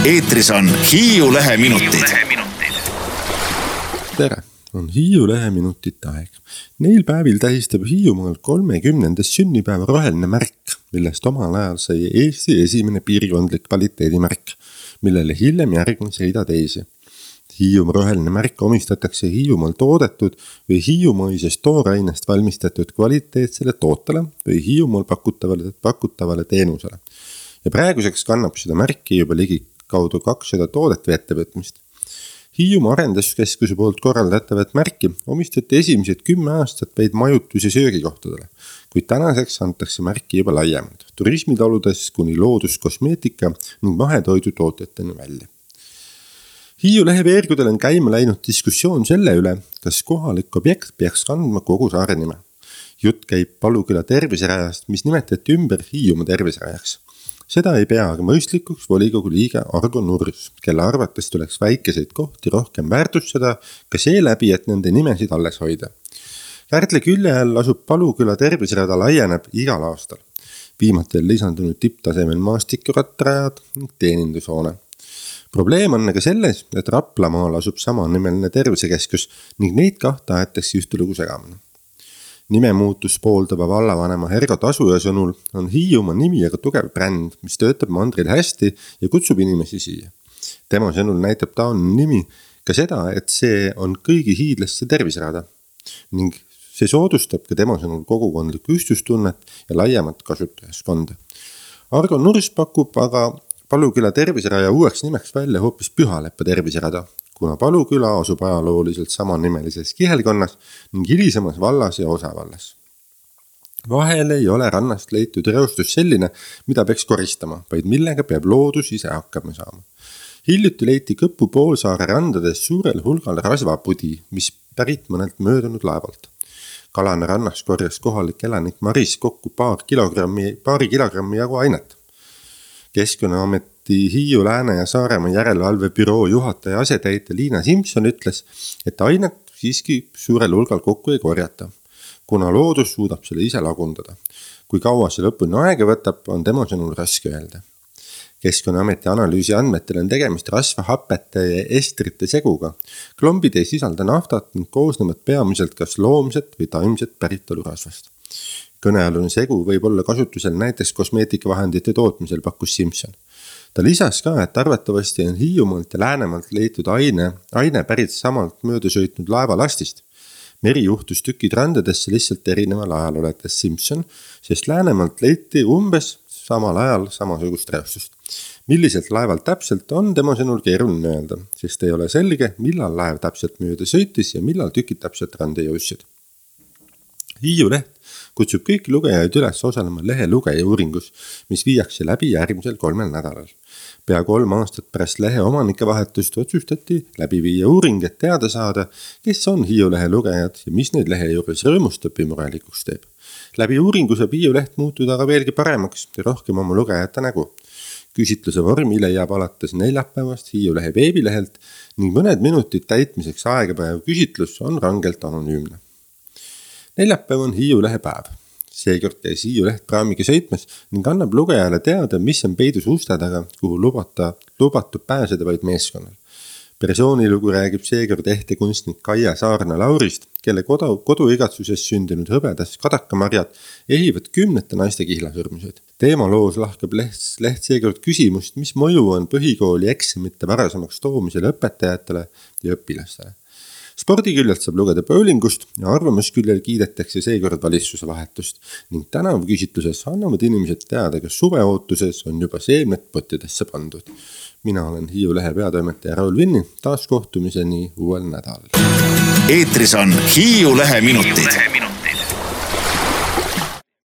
Eetris on Hiiu Leheminutid. Tere, on Hiiu Leheminutite aeg. Neil päevil tähistab Hiiumaal 30. sünnipäeva roheline märk, millest omal ajal sai Eesti esimene piirkondlik kvaliteedimärk, millele hiljem järgnes rida teisi. Hiiumaa roheline märk omistatakse Hiiumaal toodetud või hiiumaisest toorainest valmistatud kvaliteetsele tootele või Hiiumaal pakutavale teenusele. Ja praeguseks kannab seda märki juba ligi kaudu 200 toodet või ettevõtmist. Hiiumaa arenduskeskuse poolt korraldatavat märki omistati esimesed 10 aastat vaid majutus- ja söögikohtadele, kuid tänaseks antakse märki juba laiemalt, turismitaludes kuni looduskosmeetika ning mahetoidu tootjateni välja. Hiiu lehe veergudel on käima läinud diskussioon selle üle, kas kohalik objekt peaks kandma kogu saare nime. Jutt käib Paluküla terviserajast, mis nimetati ümber Hiiumaa terviserajaks. Seda ei pea aga mõistlikuks volikogu liige Argo Nurs, kelle arvates tuleks väikeseid kohti rohkem väärtustada ka seeläbi, et nende nimesid alles hoida. Kärdla külje all asub Paluküla terviserada laieneb igal aastal. Viimati on lisandunud tipptasemel maastikurattarajad ning teenindushoone. Probleem on aga selles, et Raplamaal asub samanimeline tervisekeskus ning neid kahte aetakse ühte lugu segamini. Nimemuutus pooldava vallavanema Ergo Tasuja sõnul on Hiiumaa nimi aga tugev bränd, mis töötab mandril hästi ja kutsub inimesi siia. Tema sõnul näitab taoline nimi ka seda, et see on kõigi hiidlaste terviserada ning see soodustab ka tema sõnul kogukondlikku ühtsustunnet ja laiemat kasutajaskonda. Argo Nurs pakub aga Paluküla terviseraja uueks nimeks välja hoopis Pühaleppa terviserada, kuna Paluküla asub ajalooliselt samanimelises kihelkonnas ning hilisemas vallas ja osavallas. Vahel ei ole rannast leitud reostus selline, mida peaks koristama, vaid millega peab loodus ise hakkama saama. Hiljuti leiti Kõpu poolsaare randades suurel hulgal rasvapudi, mis pärit mõnelt möödunud laevalt. Kalane rannas korjas kohalik elanik Maris kokku paari kilogrammi jagu ainet. Keskkonnaameti Hiiu, Lääne ja Saaremaa järelevalve büroo juhataja asetäitja Liina Simson ütles, et ainet siiski suurel hulgal kokku ei korjata, kuna loodus suudab selle ise lagundada. Kui kaua see lõpuni aega võtab, on tema sõnul raske öelda. Keskkonnaameti analüüsi andmetel on tegemist rasvahapete ja estrite seguga. Klombid ei sisalda naftat ning koosnevad peamiselt kas loomset või taimset päritolu rasvast. Kõnealune segu võib olla kasutusel näiteks kosmeetikavahendite tootmisel, pakkus Simson. Ta lisas ka, et arvatavasti on Hiiumaalt ja Läänemaalt leitud aine pärit samalt mööda sõitnud laevalastist. Meri juhtus tükid randadesse lihtsalt erineval ajal, oletas Simson, sest Läänemaalt leiti umbes samal ajal samasugust reostust. Milliselt laevalt täpselt on tema sõnul keeruline öelda, sest ei ole selge, millal laev täpselt mööda sõitis ja millal tükid täpselt randa jõudsid. Hiiu leht kutsub kõiki lugejaid üles osalema lehe lugeja uuringus, mis viiakse läbi järgmisel 3 nädalal. Pea 3 aastat pärast lehe omanike vahetust otsustati läbi viia uuring, et teada saada, kes on Hiiu lehe lugejad ja mis neid lehe juures rõõmustab või murelikuks teeb. Läbi uuringu saab Hiiu leht muutuda aga veelgi paremaks ja rohkem oma lugejate nägu. Küsitluse vormi leiab alates neljapäevast Hiiu lehe veebilehelt ning mõned minutid täitmiseks aegapäev küsitlus on rangelt anonüümne. Neljapäev on Hiiu lehe päev. Seekord käis Hiiu leht praamiga sõitmas ning annab lugejale teada, mis on peidus uste taga, kuhu lubatud pääseda vaid meeskonnal. Persoonilugu räägib seekord ehtekunstnik Kaia Saarna-Laurist, kelle koduigatsuses sündinud hõbedas kadakamarjad ehivad 10 naiste kihlasurmiseid. Teemaloos lahkab leht seekord küsimust, mis mõju on põhikooli eksamite varasemaks toomisel õpetajatele ja õpilastele. Spordiküljelt saab lugeda bowlingust ja arvamusküljel kiidetakse seekord valitsuse vahetust ning tänavu küsitluses annavad inimesed teada, kas suveootuses on juba seemned pottidesse pandud. Mina olen Hiiu lehe peatoimetaja Raul Vinni, taas kohtumiseni uuel nädalal. Eetris on Hiiu Leheminutid.